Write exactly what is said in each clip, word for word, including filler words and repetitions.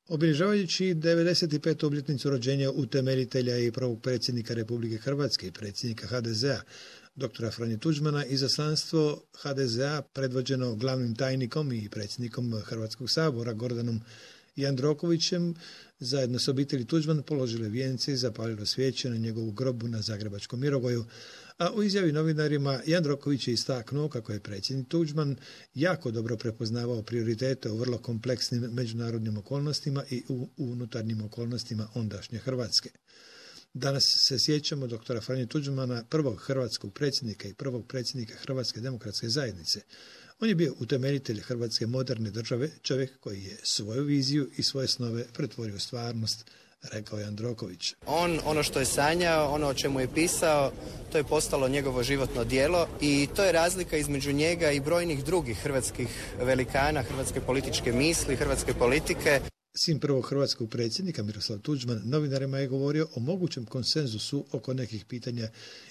Obilježavajući devedeset petu obljetnicu rođenja utemeljitelja i prvog predsjednika Republike Hrvatske i predsjednika ha de zea, doktora Franje Tuđmana, izaslanstvo ha de zea predvođeno glavnim tajnikom i predsjednikom Hrvatskog sabora Gordanom Jandrokovićem zajedno s obitelji Tuđman položile vijence i zapalilo svijeće na njegovu grobu na Zagrebačkom Mirogoju, a u izjavi novinarima Jandroković je istaknuo kako je predsjednik Tuđman jako dobro prepoznavao prioritete u vrlo kompleksnim međunarodnim okolnostima i u unutarnjim okolnostima ondašnje Hrvatske. Danas se sjećamo doktora Franje Tuđmana, prvog hrvatskog predsjednika i prvog predsjednika Hrvatske demokratske zajednice. On je bio utemeljitelj Hrvatske moderne države, čovjek koji je svoju viziju i svoje snove pretvorio u stvarnost, rekao je Jandroković. On, ono što je sanjao, ono o čemu je pisao, to je postalo njegovo životno djelo i to je razlika između njega i brojnih drugih hrvatskih velikana, hrvatske političke misli, hrvatske politike. Sin prvog hrvatskog predsjednika Miroslav Tuđman novinarima je govorio o mogućem konsenzusu oko nekih pitanja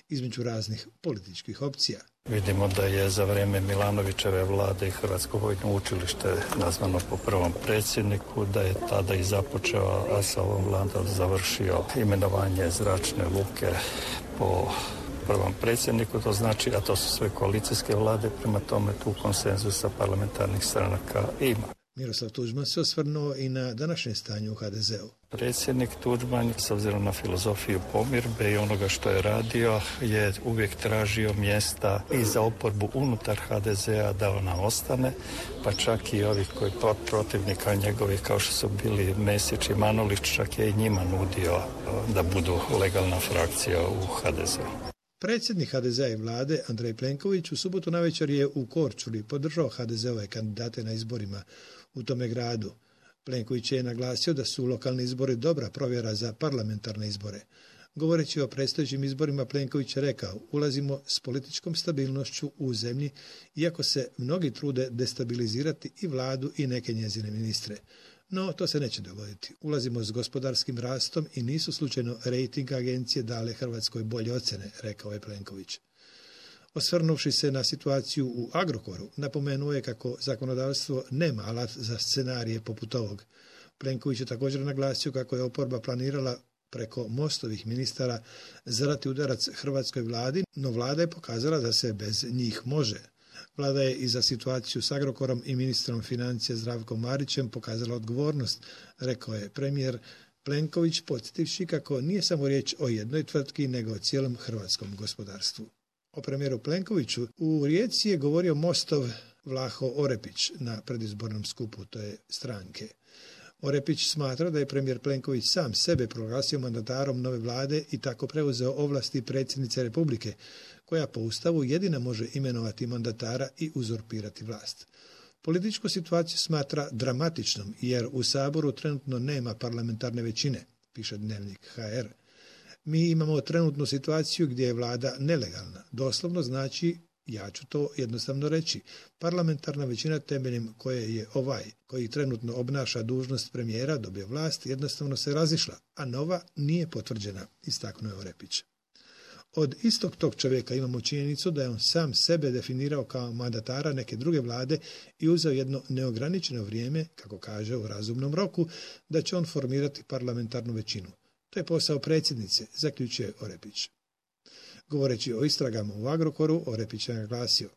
između raznih političkih opcija. Vidimo da je za vrijeme Milanovićeve vlade i Hrvatsko vojno učilište nazvano po prvom predsjedniku, da je tada i započeo, a sa ovom vladom završio imenovanje zračne luke po prvom predsjedniku, to znači, a to su sve koalicijske vlade, prema tome tu konsenzusa parlamentarnih stranaka ima. Miroslav Tuđman se osvrnuo i na današnje stanje u ha de zeu. Predsjednik Tuđman, s obzirom na filozofiju pomirbe i onoga što je radio, je uvijek tražio mjesta i za oporbu unutar ha de zea da ona ostane, pa čak i ovih koji protivnika njegovih kao što su bili Mesić i Manolić, čak je i njima nudio da budu legalna frakcija u ha de zeu. Predsjednik ha de zea i vlade Andrej Plenković u subotu navečer je u Korčuli podržao ha de zeove kandidate na izborima u tome gradu. Plenković je naglasio da su lokalni izbori dobra provjera za parlamentarne izbore. Govoreći o predstojećim izborima, Plenković je rekao: ulazimo s političkom stabilnošću u zemlji, iako se mnogi trude destabilizirati i vladu i neke njezine ministre. No, to se neće dogoditi. Ulazimo s gospodarskim rastom i nisu slučajno rejting agencije dale Hrvatskoj bolje ocjene, rekao je Plenković. Osvrnuvši se na situaciju u Agrokoru, napomenuo je kako zakonodavstvo nema alat za scenarije poput ovog. Plenković je također naglasio kako je oporba planirala preko Mostovih ministara zadati udarac hrvatskoj vladi, no vlada je pokazala da se bez njih može. Vlada je i za situaciju s Agrokorom i ministrom financija Zdravkom Marićem pokazala odgovornost, rekao je premijer Plenković, podsjetivši kako nije samo riječ o jednoj tvrtki, nego o cijelom hrvatskom gospodarstvu. O premijeru Plenkoviću u Rijeci je govorio Mostov Vlaho Orepić na predizbornom skupu te stranke. Orepić smatra da je premijer Plenković sam sebe proglasio mandatarom nove vlade i tako preuzeo ovlasti predsjednice Republike, koja po Ustavu jedina može imenovati mandatara i uzurpirati vlast. Političku situaciju smatra dramatičnom jer u Saboru trenutno nema parlamentarne većine, piše Dnevnik ha er. Mi imamo trenutnu situaciju gdje je vlada nelegalna. Doslovno znači, ja ću to jednostavno reći, parlamentarna većina temeljem koje je ovaj, koji trenutno obnaša dužnost premijera, dobio vlast, jednostavno se razišla, a nova nije potvrđena, istaknuo je Orepić. Od istog tog čovjeka imamo činjenicu da je on sam sebe definirao kao mandatara neke druge vlade i uzeo jedno neograničeno vrijeme, kako kaže u razumnom roku, da će on formirati parlamentarnu većinu. To je posao predsjednice, zaključuje Orepić. Govoreći o istragama u Agrokoru, Orepić je naglasio: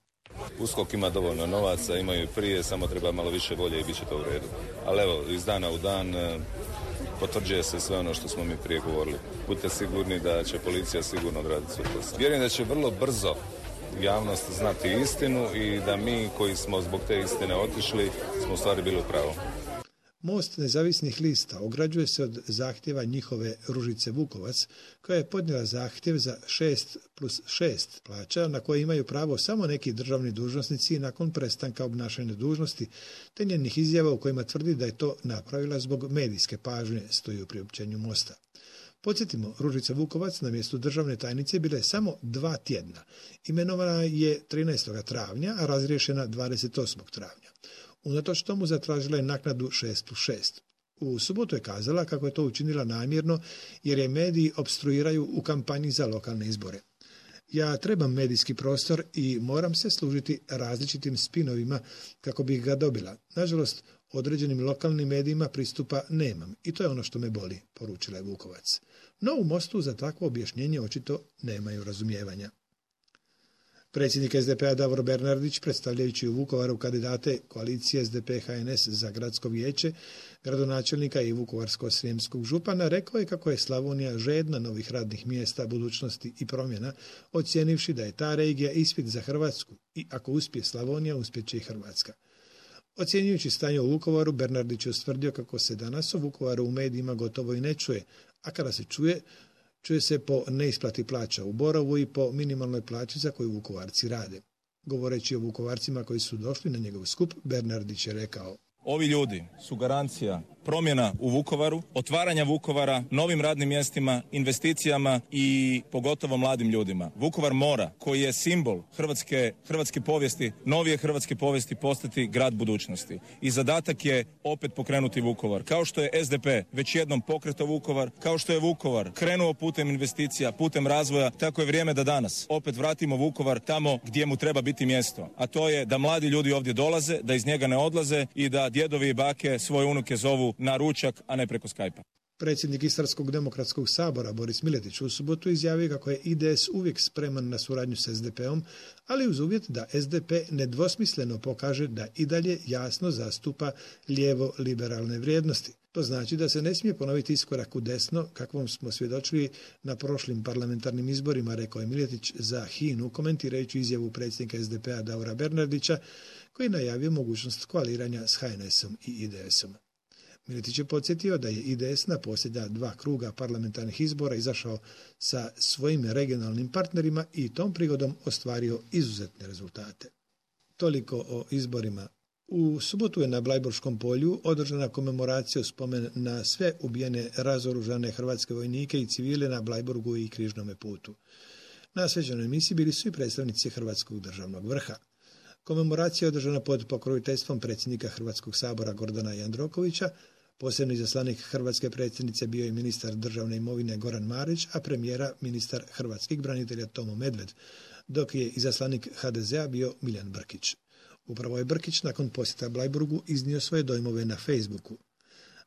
USKOK ima dovoljno novaca, imaju i prije, samo treba malo više volje i bit će to u redu. Ali evo, iz dana u dan potvrđuje se sve ono što smo mi prije govorili. Budite sigurni da će policija sigurno odraditi svoj posao. Vjerujem da će vrlo brzo javnost znati istinu i da mi koji smo zbog te istine otišli smo u stvari bili u pravu. Most nezavisnih lista ograđuje se od zahtjeva njihove Ružice Vukovac, koja je podnijela zahtjev za šest plus šest plaća na koje imaju pravo samo neki državni dužnosnici nakon prestanka obnašanja dužnosti, te njenih izjava u kojima tvrdi da je to napravila zbog medijske pažnje, stoji u priopćenju Mosta. Podsjetimo, Ružica Vukovac na mjestu državne tajnice bila je samo dva tjedna. Imenovana je trinaestog travnja, a razriješena dvadeset osmog travnja. Unatoč tomu zatražila je naknadu šest plus šest. U subotu je kazala kako je to učinila namjerno jer je mediji opstruiraju u kampanji za lokalne izbore. Ja trebam medijski prostor i moram se služiti različitim spinovima kako bih ga dobila. Nažalost, Određenim lokalnim medijima pristupa nemam i to je ono što me boli, poručila je Vukovac. No u Mostu za takvo objašnjenje očito nemaju razumijevanja. Predsjednik es de pe a Davor Bernardić, predstavljajući u Vukovaru kandidate koalicije es de pe ha en es za gradsko vijeće, gradonačelnika i vukovarsko-srijemskog župana, rekao je kako je Slavonija žedna novih radnih mjesta, budućnosti i promjena, ocijenivši da je ta regija ispit za Hrvatsku i ako uspije Slavonija, uspjeće i Hrvatska. Ocjenjujući stanje u Vukovaru, Bernardić je ustvrdio kako se danas o Vukovaru u medijima gotovo i ne čuje, a kada se čuje, čuje se po neisplati plaća u Borovu i po minimalnoj plaći za koju Vukovarci rade. Govoreći o Vukovarcima koji su došli na njegov skup, Bernardić je rekao: Ovi ljudi su garancija promjena u Vukovaru, otvaranja Vukovara, novim radnim mjestima, investicijama i pogotovo mladim ljudima. Vukovar mora, koji je simbol hrvatske, hrvatske povijesti, novije hrvatske povijesti, postati grad budućnosti. I zadatak je opet pokrenuti Vukovar. Kao što je es de pe već jednom pokretao Vukovar, kao što je Vukovar krenuo putem investicija, putem razvoja, tako je vrijeme da danas opet vratimo Vukovar tamo gdje mu treba biti mjesto. A to je da mladi ljudi ovdje dolaze, da iz njega ne odlaze i da djedovi i bake svoje unuke zovu na ručak, a ne preko Skype-a. Predsjednik Istarskog demokratskog sabora Boris Miletić u subotu izjavio kako je i de es uvijek spreman na suradnju s es de pe-om, ali uz uvjet da es de pe nedvosmisleno pokaže da i dalje jasno zastupa lijevo-liberalne vrijednosti. To znači da se ne smije ponoviti iskorak u desno, kakvom smo svjedočili na prošlim parlamentarnim izborima, rekao je Miletić za Hinu, komentirajući izjavu predsjednika es de pe-a Davora Bernardića, koji je najavio mogućnost koaliranja s ha en esom i i de esom. Miletić je podsjetio da je i de es na posljednja dva kruga parlamentarnih izbora izašao sa svojim regionalnim partnerima i tom prigodom ostvario izuzetne rezultate. Toliko o izborima. U subotu je na Blajburškom polju održana komemoracija u spomen na sve ubijene razoružane hrvatske vojnike i civile na Blajburgu i Križnome putu. Na svečanoj emisiji bili su i predstavnici Hrvatskog državnog vrha. Komemoracija je održana pod pokroviteljstvom predsjednika Hrvatskog sabora Gordana Jandrokovića. Posebni izaslanik hrvatske predsjednice bio je ministar državne imovine Goran Marić, a premijera ministar hrvatskih branitelja Tomo Medved, dok je izaslanik ha de ze a bio Miljan Brkić. Upravo je Brkić nakon posjeta Blajburgu iznio svoje dojmove na Facebooku.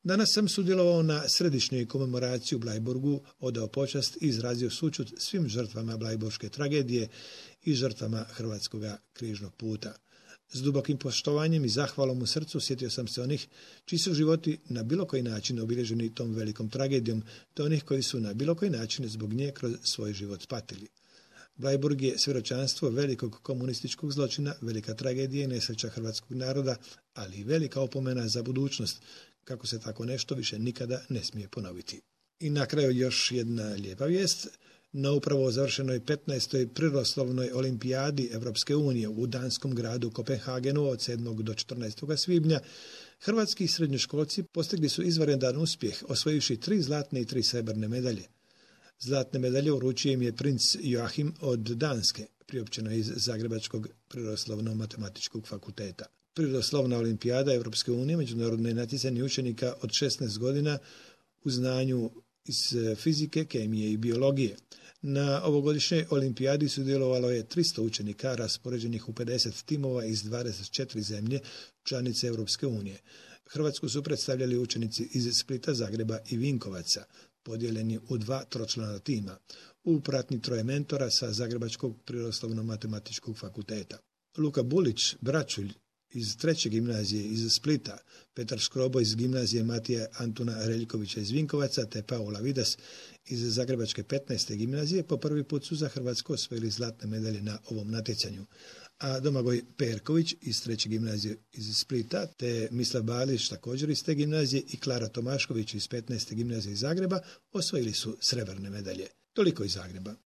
Danas sam sudjelovao na središnjoj komemoraciji u Blajburgu, odao počast i izrazio sućut svim žrtvama blajburške tragedije i žrtvama Hrvatskog križnog puta. S dubokim poštovanjem i zahvalom u srcu sjetio sam se onih čiji su životi na bilo koji način obilježeni tom velikom tragedijom, te onih koji su na bilo koji način zbog nje kroz svoj život patili. Blajburg je svjedočanstvo velikog komunističkog zločina, velika tragedija i nesreća hrvatskog naroda, ali i velika opomena za budućnost, kako se tako nešto više nikada ne smije ponoviti. I na kraju još jedna lijepa vijest. Na upravo završenoj petnaestoj prirodoslovnoj olimpijadi Evropske unije u danskom gradu Kopenhagenu od sedmog do četrnaestog svibnja hrvatski srednjoškolci postigli su izvanredan uspjeh, osvojivši tri zlatne i tri srebrne medalje. Zlatne medalje uručio im je princ Joachim od Danske, priopćeno iz Zagrebačkog prirodoslovno-matematičkog fakulteta. Prirodoslovna olimpijada Evropske unije, međunarodne natjecanje učenika od šesnaest godina u znanju iz fizike, kemije i biologije. Na ovogodišnjoj olimpijadi sudjelovalo je tristo učenika raspoređenih u pedeset timova iz dvadeset četiri zemlje članice Evropske unije. Hrvatsku su predstavljali učenici iz Splita, Zagreba i Vinkovaca, podijeljeni u dva tročlana tima, u pratnji troje mentora sa Zagrebačkog prirodoslovno-matematičkog fakulteta. Luka Bulić, Bračulj iz treće gimnazije iz Splita, Petar Škrobo iz gimnazije Matija Antuna Reljkovića iz Vinkovaca te Paula Vidas iz Zagrebačke petnaeste gimnazije po prvi put su za Hrvatsku osvojili zlatne medalje na ovom natjecanju. A Domagoj Perković iz treće gimnazije iz Splita te Mislav Balić također iz te gimnazije i Klara Tomašković iz petnaeste gimnazije iz Zagreba osvojili su srebrne medalje. Toliko iz Zagreba.